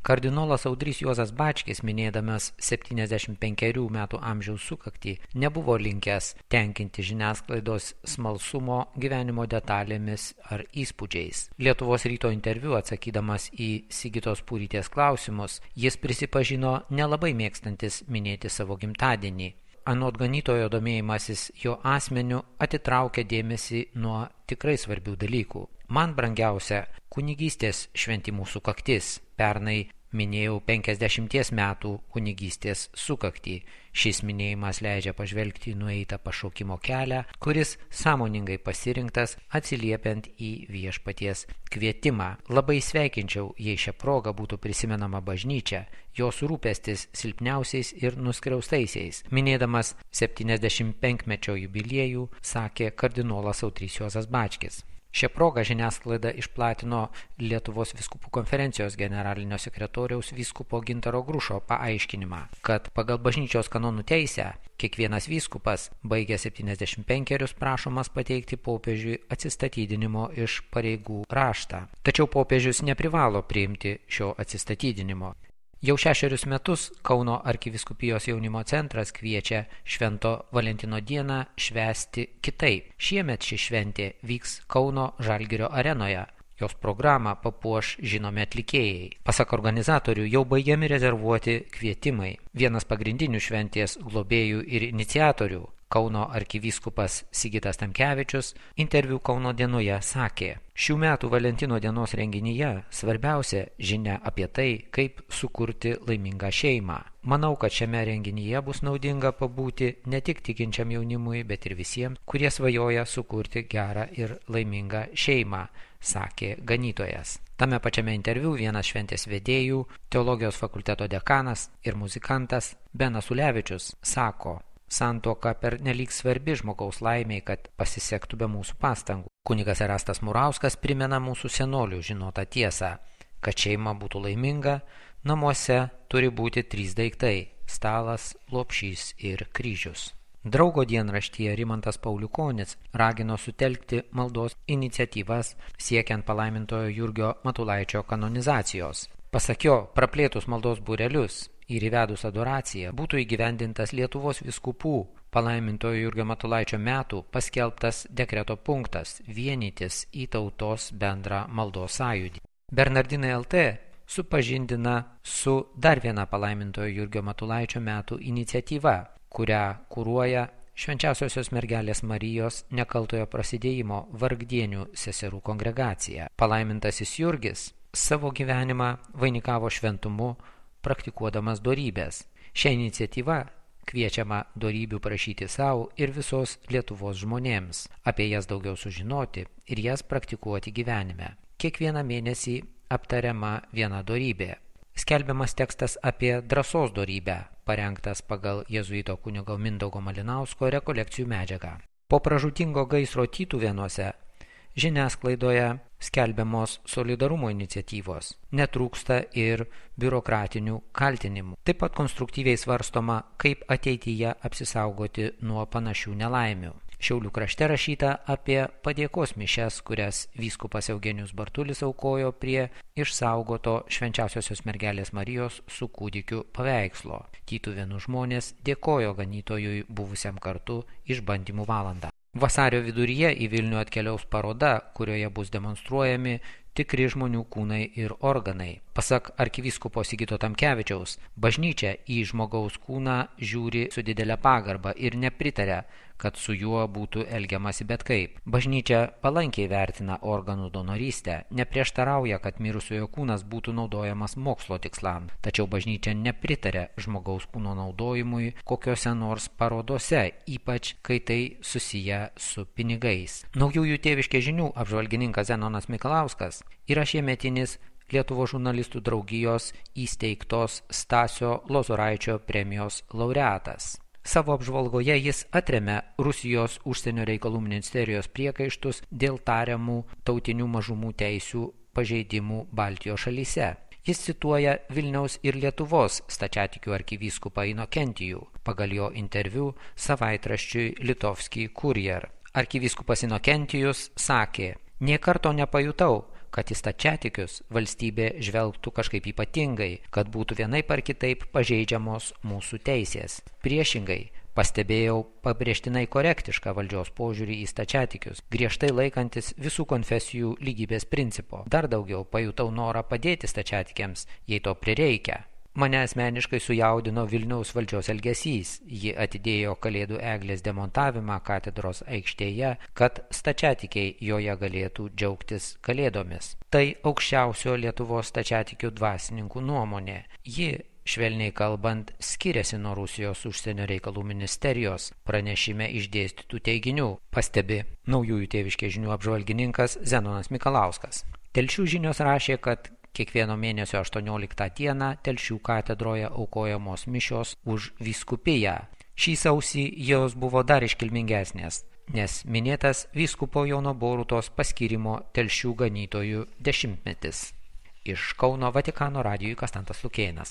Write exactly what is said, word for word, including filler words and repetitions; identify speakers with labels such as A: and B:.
A: Kardinolas Audrys Juozas Bačkis, minėdamas septyniasdešimt penkerių metų amžiaus sukaktį, nebuvo linkęs tenkinti žiniasklaidos smalsumo gyvenimo detalėmis ar įspūdžiais. Lietuvos ryto interviu atsakydamas į Sigitos Purytės klausimus, jis prisipažino nelabai mėgstantis minėti savo gimtadienį. Anot ganytojo domėjimasis jo asmeniu atitraukia dėmesį nuo tikrai svarbių dalykų. Man brangiausia kunigystės šventimų sukaktis. Pernai minėjau penkiasdešimties metų kunigystės sukaktį. Šis minėjimas leidžia pažvelgti nueitą pašaukimo kelią, kuris sąmoningai pasirinktas atsiliepiant į viešpaties kvietimą. Labai sveikinčiau, jei šią progą būtų prisimenama bažnyčia, jos rūpestis silpniausiais ir nuskriaustaisiais. Minėdamas septyniasdešimt penkmečio jubiliejų, sakė kardinolas Audrys Juozas Bačkis. Šią progą žiniasklaida išplatino Lietuvos vyskupų konferencijos generalinio sekretoriaus vyskupo Gintaro Grušo paaiškinimą, kad pagal bažnyčios kanonų teisę kiekvienas vyskupas, baigęs septyniasdešimt penkerius, prašomas pateikti popiežiui atsistatydinimo iš pareigų raštą. Tačiau popiežius neprivalo priimti šio atsistatydinimo. Jau šešerius metus Kauno arkivyskupijos jaunimo centras kviečia Švento Valentino dieną švęsti kitaip. Šiemet ši šventė vyks Kauno Žalgirio arenoje. Jos programą papuoš žinomi atlikėjai. Pasak organizatorių jau baigiami rezervuoti kvietimai. Vienas pagrindinių šventės globėjų ir iniciatorių, Kauno arkivyskupas Sigitas Tamkevičius, interviu Kauno dienoje sakė: šių metų Valentino dienos renginyje svarbiausia žinia apie tai, kaip sukurti laimingą šeimą. Manau, kad šiame renginyje bus naudinga pabūti ne tik tikinčiam jaunimui, bet ir visiems, kurie svajoja sukurti gerą ir laimingą šeimą, sakė ganytojas. Tame pačiame interviu vienas šventės vedėjų, teologijos fakulteto dekanas ir muzikantas Benas Ulevičius sako: santuoka pernelyg svarbi žmogaus laimei, kad pasisektų be mūsų pastangų. Kunigas Erastas Murauskas primena mūsų senolių žinotą tiesą, kad šeima būtų laiminga, namuose turi būti trys daiktai – stalas, lopšys ir kryžius. Draugo dienraštyje Rimantas Pauliukonis ragino sutelkti maldos iniciatyvas siekiant palaimintojo Jurgio Matulaičio kanonizacijos. Pasak jo, praplėtus maldos būrelius ir įvedus adoraciją būtų įgyvendintas Lietuvos vyskupų palaimintojo Jurgio Matulaičio metų paskelbtas dekreto punktas vienytis į tautos bendrą maldos sąjūdį. Bernardinai L T supažindina su dar viena palaimintojo Jurgio Matulaičio metų iniciatyva, kurią kuruoja Švenčiausiosios mergelės Marijos nekaltojo prasidėjimo vargdienių seserų kongregacija. Palaimintasis Jurgis savo gyvenimą vainikavo šventumu, praktikuodamas dorybės. Šią iniciatyvą kviečiama dorybių prašyti savo ir visos Lietuvos žmonėms, apie jas daugiau sužinoti ir jas praktikuoti gyvenime. Kiekvieną mėnesį aptariama viena dorybė. Skelbiamas tekstas apie drąsos dorybę, parengtas pagal jėzuito kunigo Mindaugo Malinausko rekolekcijų medžiagą. Po pražūtingo gaisro Tytuvėnuose žiniasklaidoje skelbiamos solidarumo iniciatyvos, netrūksta ir biurokratinių kaltinimų. Taip pat konstruktyviai svarstoma, kaip ateityje apsisaugoti nuo panašių nelaimių. Šiaulių krašte rašyta apie padėkos mišias, kurias vyskupas Eugenijus Bartulis aukojo prie išsaugoto Švenčiausiosios mergelės Marijos su kūdikiu paveikslo. Tytuvėnų žmonės dėkojo ganytojui buvusiam kartu išbandymų valandą. Vasario viduryje į Vilnių atkeliaus paroda, kurioje bus demonstruojami tikri žmonių kūnai ir organai. Pasak arkivyskupo Sigito Tamkevičiaus, bažnyčia į žmogaus kūną žiūri su didelė pagarba ir nepritaria, kad su juo būtų elgiamasi bet kaip. Bažnyčia palankiai vertina organų donorystę, neprieštarauja, kad mirusiojo kūnas būtų naudojamas mokslo tikslams, tačiau bažnyčia nepritaria žmogaus kūno naudojimui kokiose nors parodose, ypač kai tai susiję su pinigais. Naujųjų tėviškės žinių apžvalgininkas Zenonas Mikalauskas yra šiemetinis Lietuvos žurnalistų draugijos įsteigtos Stasio Lozoraičio premijos laureatas. Savo apžvalgoje jis atremia Rusijos užsienio reikalų ministerijos priekaištus dėl tariamų tautinių mažumų teisių pažeidimų Baltijos šalyse. Jis cituoja Vilniaus ir Lietuvos stačiatikių arkivyskupą Inokentijų, pagal jo interviu savaitraščiui Litovski Kurjer. Arkivyskupas Inokentijus sakė: "Nė karto nepajutau, kad į stačiatikius valstybė žvelgtų kažkaip ypatingai, kad būtų vienaip ar kitaip pažeidžiamos mūsų teisės. Priešingai, pastebėjau pabrėžtinai korektišką valdžios požiūrį į stačiatikius, griežtai laikantis visų konfesijų lygybės principo. Dar daugiau pajutau norą padėti stačiatikiams, jei to prireikia. Mane asmeniškai sujaudino Vilniaus valdžios elgesys. Ji atidėjo Kalėdų eglės demontavimą katedros aikštėje, kad stačiatikiai joje galėtų džiaugtis Kalėdomis. Tai aukščiausio Lietuvos stačiatikių dvasininkų nuomonė. Ji, švelniai kalbant, skiriasi nuo Rusijos užsienio reikalų ministerijos pranešime išdėstytų teiginių, pastebi Naujųjų tėviškės žinių apžvalgininkas Zenonas Mikalauskas. Telšių žinios rašė, kad kiekvieno mėnesio aštuonioliktą dieną Telšių katedroje aukojamos mišios už vyskupiją. Šį sausį jos buvo dar iškilmingesnės, nes minėtas vyskupo Jono Borutos paskyrimo Telšių ganytojų dešimtmetis. Iš Kauno Vatikano radijui Kastantas Lukėnas.